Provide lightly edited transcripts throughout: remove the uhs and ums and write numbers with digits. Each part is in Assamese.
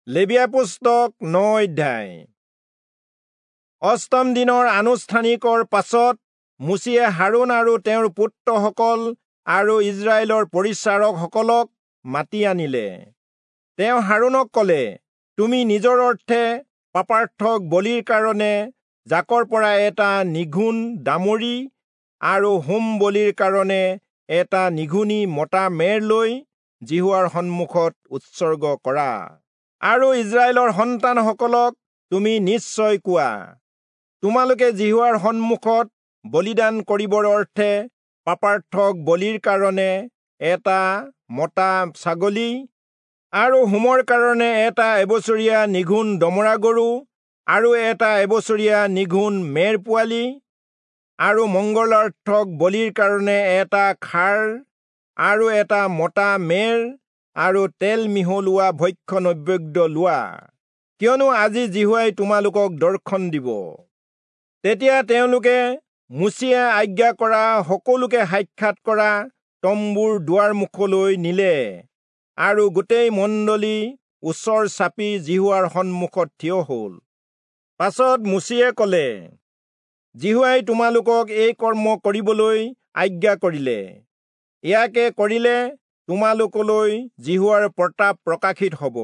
লেবীয়া পুস্তক 9 অধ্যায়। অষ্টম দিনৰ আনুষ্ঠানিকৰ পাছত মোচিয়ে হাৰোণ আৰু তেওঁৰ পুত্ৰসকল আৰু ইজৰাইলৰ পৰিচাৰকসকলক মাতি আনিলে। তেওঁ হাৰোণক কলে, তুমি নিজৰ অৰ্থে পাপাৰ্থক বলিৰ কাৰণে জাকৰ পৰা এটা নিঘুণ দামৰি আৰু হোম বলিৰ কাৰণে এটা নিঘুণী মতা মেৰ লৈ যিহোৱাৰ সন্মুখত উৎসৰ্গ কৰা। আৰু ইজৰাইলৰ সন্তানসকলক তুমি নিশ্চয় কোৱা, তোমালোকে যিহোৱাৰ সন্মুখত বলিদান কৰিবৰ অৰ্থে পাপাৰ্থক বলিৰ কাৰণে এটা মতা ছাগলী আৰু হোমৰ কাৰণে এটা এবছৰীয়া নিঘুণ দমৰা গৰু আৰু এটা এবছৰীয়া নিঘুণ মেৰ পোৱালি আৰু মংগলাৰ্থক বলিৰ কাৰণে এটা খাৰ আৰু এটা মতা মেৰ আৰু তেল মিহলোৱা ভক্ষ্য নৈবেদ্য লোৱা, কিয়নো আজি যিহোৱাই তোমালোকক দৰ্শন দিব। তেতিয়া তেওঁলোকে মোচিয়ে আজ্ঞা কৰা সকলোকে সাক্ষাৎ কৰা তম্বুৰ দুৱাৰ মুখলৈ নিলে আৰু গোটেই মণ্ডলী ওচৰ চাপি যিহোৱাৰ সন্মুখত থিয় হল। পাছত মোচিয়ে কলে, যিহোৱাই তোমালোকক এই কৰ্ম কৰিবলৈ আজ্ঞা কৰিলে, ইয়াকে কৰিলে তোমালোকলৈ যিহোৱাৰ প্ৰতাপ প্ৰকাশিত হব।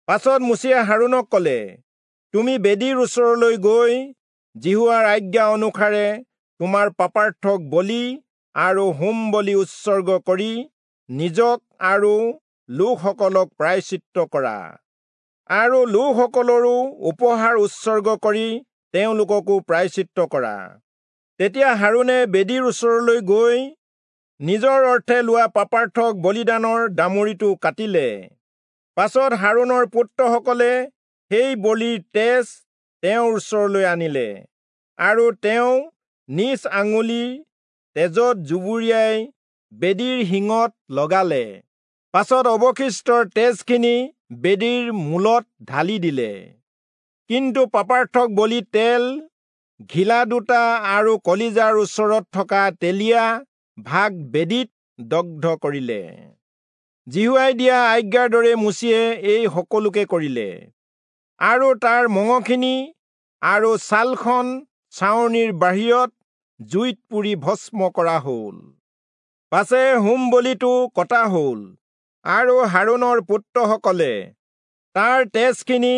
পাছত মোচিয়ে হাৰোণক কলে, তুমি বেদীৰ ওচৰলৈ গৈ যিহোৱাৰ আজ্ঞা অনুসাৰে তোমাৰ পাপাৰ্থক বলি আৰু হোম বলি উৎসৰ্গ কৰি নিজক আৰু লোকসকলক প্ৰায়শ্চিত্ত কৰা, আৰু লোকসকলৰো উপহাৰ উৎসৰ্গ কৰি তেওঁলোককো প্ৰায়শ্চিত্ত কৰা। তেতিয়া হাৰোণে বেদীৰ ওচৰলৈ গৈ নিজৰ অৰ্থে লোৱা পাপাৰ্থক বলিদানৰ দামৰিটো কাটিলে। পাছত হাৰোণৰ পুত্ৰসকলে সেই বলিৰ তেজ তেওঁৰ ওচৰলৈ আনিলে, আৰু তেওঁ নিজ আঙুলি তেজত জুবুৰিয়াই বেদীৰ শিঙত লগালে। পাছত অৱশিষ্টৰ তেজখিনি বেদীৰ মূলত ঢালি দিলে। কিন্তু পাপাৰ্থক বলি তেল, ঘিলা দুটা আৰু কলিজাৰ ওচৰত থকা তেলীয়া ভাগ বেদীত দগ্ধ কৰিলে। যিহোৱাই দিয়া আজ্ঞাৰ দৰে মোচিয়ে এই সকলোকে কৰিলে। আৰু তাৰ মঙহখিনি আৰু ছালখন ছাউনিৰ বাহিৰত জুইত পুৰি ভস্ম কৰা হল। পাছে হোম বলিটো কটা হল, আৰু হাৰোণৰ পুত্ৰসকলে তাৰ তেজখিনি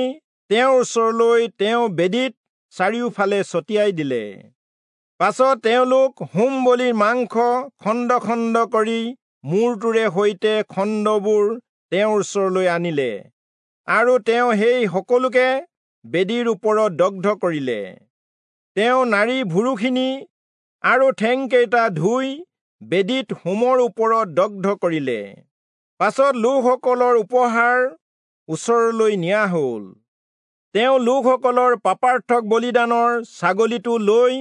তেওঁৰ ওচৰলৈ তেওঁ বেদীত চাৰিওফালে ছটিয়াই দিলে। পাছত তেওঁলোক হোম বলিৰ মাংস খণ্ড খণ্ড কৰি মূৰটোৰে সৈতে খণ্ডবোৰ তেওঁৰ ওচৰলৈ আনিলে, আৰু তেওঁ সেই সকলোকে বেদীৰ ওপৰত দগ্ধ কৰিলে। তেওঁ নাড়ী ভুৰুখিনি আৰু ঠেংকেইটা ধুই বেদীত হোমৰ ওপৰত দগ্ধ কৰিলে। পাছত লোকসকলৰ উপহাৰ ওচৰলৈ নিয়া হল। তেওঁ লোকসকলৰ পাপাৰ্থক বলিদানৰ ছাগলীটো লৈ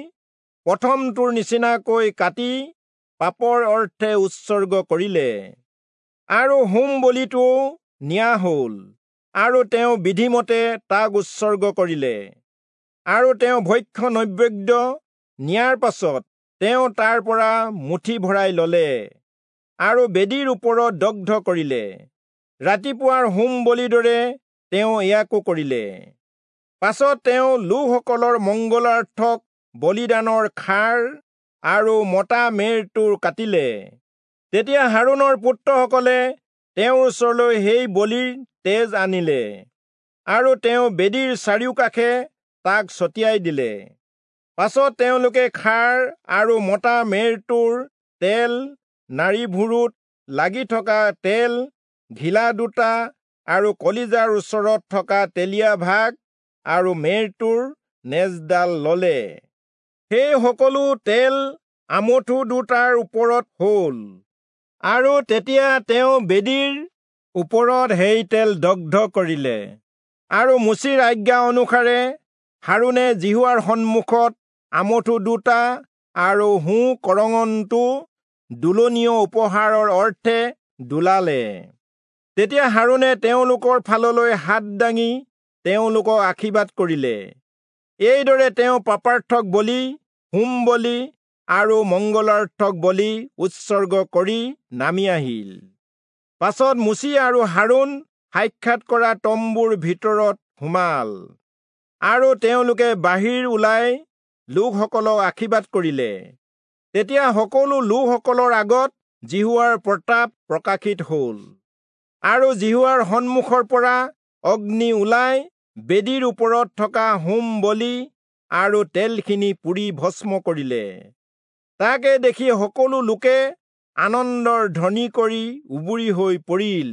প্ৰথমটোৰ নিচিনাকৈ কাটি পাপৰ অৰ্থে উৎসৰ্গ কৰিলে, আৰু হোম বলিটোও নিয়া হল, আৰু তেওঁ বিধিমতে তাক উৎসৰ্গ কৰিলে। আৰু তেওঁ ভক্ষ্য নৈবেদ্য নিয়াৰ পাছত তেওঁ তাৰ পৰা মুঠি ভৰাই ললে আৰু বেদীৰ ওপৰত দগ্ধ কৰিলে। ৰাতিপুৱাৰ হোম বলিৰ দৰে তেওঁ ইয়াকো কৰিলে। পাছত তেওঁ লোকসকলৰ মংগলাৰ্থক বলিদানৰ খাৰ আৰু মতা মেৰটোৰ কাটিলে। তেতিয়া হাৰোণৰ পুত্ৰসকলে তেওঁৰ ওচৰলৈ সেই বলিৰ তেজ আনিলে, আৰু তেওঁ বেদীৰ চাৰিওকাষে তাক ছটিয়াই দিলে। পাছত তেওঁলোকে খাৰ আৰু মতা মেৰটোৰ তেল, নাড়ী ভুৰুত লাগি থকা তেল, ঘিলা দুটা আৰু কলিজাৰ ওচৰত থকা তেলীয়া ভাগ আৰু মেৰটোৰ নেজডাল ললে। সেই সকলো তেল আমঠু দুটাৰ ওপৰত হল, আৰু তেতিয়া তেওঁ বেদীৰ ওপৰত সেই তেল দগ্ধ কৰিলে। আৰু মোচিৰ আজ্ঞা অনুসাৰে হাৰোণে যিহোৱাৰ সন্মুখত আমঠু দুটা আৰু সোঁ কৰঙনটো দোলনীয় উপহাৰৰ অৰ্থে দোলালে। তেতিয়া হাৰোণে তেওঁলোকৰ ফাললৈ হাত দাঙি তেওঁলোকক আশীৰ্বাদ কৰিলে। এইদৰে তেওঁ পাপাৰ্থক বলি, হোম বলি আৰু মংগলাৰ্থক বলি উৎসৰ্গ কৰি নামি আহিল। পাছত মোচি আৰু হাৰোণ সাক্ষাৎ কৰা তম্বুৰ ভিতৰত সোমাল। আৰু তেওঁলোকে বাহিৰ ওলাই লোকসকলক আশীৰ্বাদ কৰিলে। তেতিয়া সকলো লোকসকলৰ আগত যিহোৱাৰ প্ৰতাপ প্ৰকাশিত হ'ল। আৰু যিহোৱাৰ সন্মুখৰ পৰা অগ্নি ওলাই বেদীৰ ওপৰত থকা হোম বলি আৰু তেলখিনি পুৰি ভস্ম কৰিলে। তাকে দেখি সকলো লোকে আনন্দৰ ধ্বনি কৰি উবুৰি হৈ পৰিল।